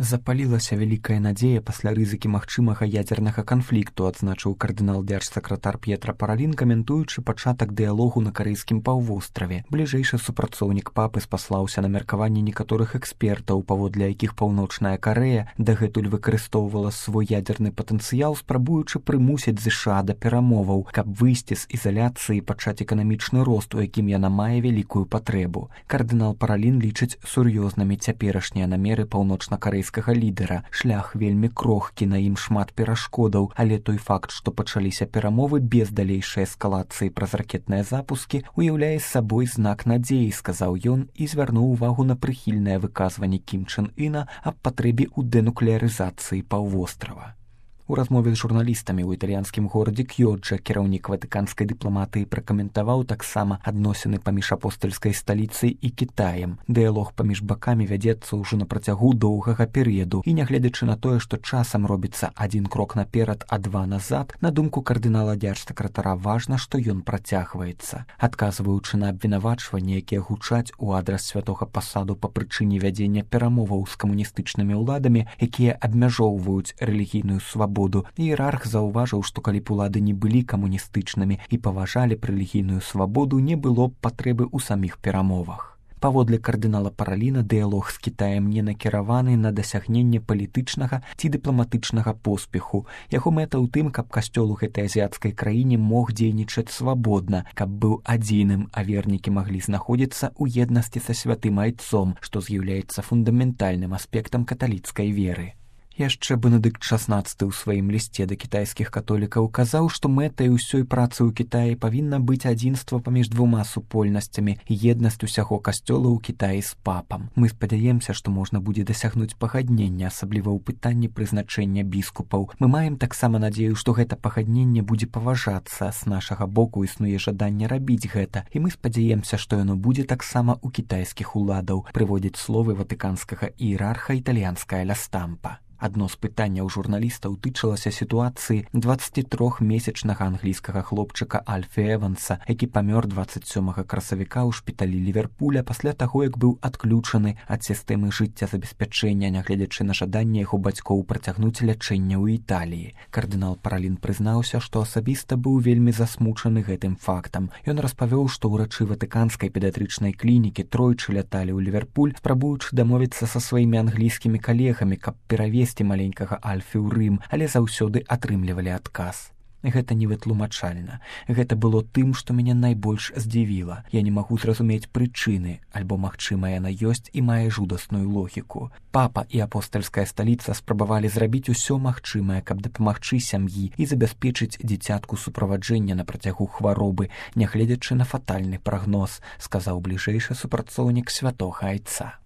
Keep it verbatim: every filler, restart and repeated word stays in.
Запалілася вялікая надзея пасля рызыкі магчымага ядзернага канфлікту, адзначыў кардынал дзяржсакратар П'етра Паралін, каментуючы пачатак дыялогу на карэйскім паўвостраве. Бліжэйшы супрацоўнік папы спаслаўся на меркаванне некаторых экспертаў, паводле якіх Паўночная Карэя дагэтуль выкарыстоўвала свой ядзерны патэнцыял, спрабуючы прымусіць ЗША да перамоваў, каб выйсці з ізаляцыі і пачаць эканамічны рост, у якім яна мае вялікую патрэбу. Кардынал Паралін лічыць сур'ёзнымі цяперашнія намеры паўночна-карэйскага лідера. Шлях вельмі крохкі, на ім шмат перашкодаў, але той факт, што пачаліся перамовы без далейшай эскалацыі праз ракетныя запускі, уяўляе сабой знак надзеі, сказаў ён і звярнуў увагу на прыхільнае выказванне Кім Чэн Іна аб патрэбе ў дэнуклеарызацыі паўвострава. У размове з журналістамі ў італьянскім горадзе Кьёджа кіраўнік ватыканскай дыпламатыі пракаментаваў таксама адносіны паміж апостальскай сталіцай і Кітаем. Дыялог паміж бакамі вядзецца ўжо на працягу доўгага перыяду, і нягледзячы на тое, што часам робіцца адзін крок наперад, а два назад, на думку кардынала дзяржсакратара важна, што ён працягваецца. Адказваючы на абвінавачванні, якія гучаць у адрас святога пасаду па прычыне вядзення перамоваў з камуністычнымі ўладамі, якія абмяжоўваюць рэлігійную свабоду, іерарх заўважыў, што калі б улады не былі камуністычнымі і паважалі б рэлігійную свабоду, не было б патрэбы ў саміх перамовах. Паводле кардынала Параліна, дыялог з Кітаем не накіраваны на дасягненне палітычнага ці дыпламатычнага поспеху. Яго мэта ў тым, каб касцёл у гэтай азіяцкай краіне мог дзейнічаць свабодна, каб быў адзіным, а вернікі маглі знаходзіцца ў еднасці са святым айцом, што з'яўляецца фундаментальным аспектам каталіцкай веры. Яшчэ Бенедыкт шаснаццаты ў сваім лісце да кітайскіх католікаў казаў, што мэтай усёй працы ў Кітаі павінна быць адзінства паміж двума супольнасцямі і еднасць усяго касцёла ў Кітаі з папам. Мы спадзяемся, што можна будзе дасягнуць пагаднення, асабліва ў пытанні прызначэння біскупаў. Мы маем таксама надзею, што гэта пагадненне будзе паважацца. З нашага боку існуе жаданне рабіць гэта, і мы спадзяемся, што яно будзе таксама ў кітайскіх уладаў, прыводзіць словы ватыканскага іерарха італьянская ля Стампа. Адно з пытанняў журналістаў тычылася сітуацыі дваццацітрохмесячнага англійскага хлопчыка Альфі Эванса, які памёр дваццаць сёмага красавіка ў шпіталі Ліверпуля пасля таго, як быў адключаны ад сістэмы жыццязабеспячэння, нягледзячы на жаданне яго бацькоў працягнуць лячэнне ў Італіі. Кардынал Паралін прызнаўся, што асабіста быў вельмі засмучаны гэтым фактам. Ён распавёў, што ўрачы ватыканскай педыятрычнай клінікі тройчы ляталі ў Ліверпуль, спрабуючы дамовіцца са сваімі англійскімі калегамі, каб перавесці маленькага Альфі ў Рым, але заўсёды атрымлівалі адказ. Гэта не вытлумачальна. Гэта было тым, што мяне найбольш здзівіла. Я не магу зразумець прычыны, альбо, магчыма, яна ёсць і мае жудасную логіку. Папа і апостальская сталіца спрабавалі зрабіць усё магчымае, каб дапамагчы сям'і і забяспечыць дзіцятку суправаджэння на працягу хваробы, нягледзячы на фатальны прагноз, сказаў бліжэйшы супрацоўнік святога айца.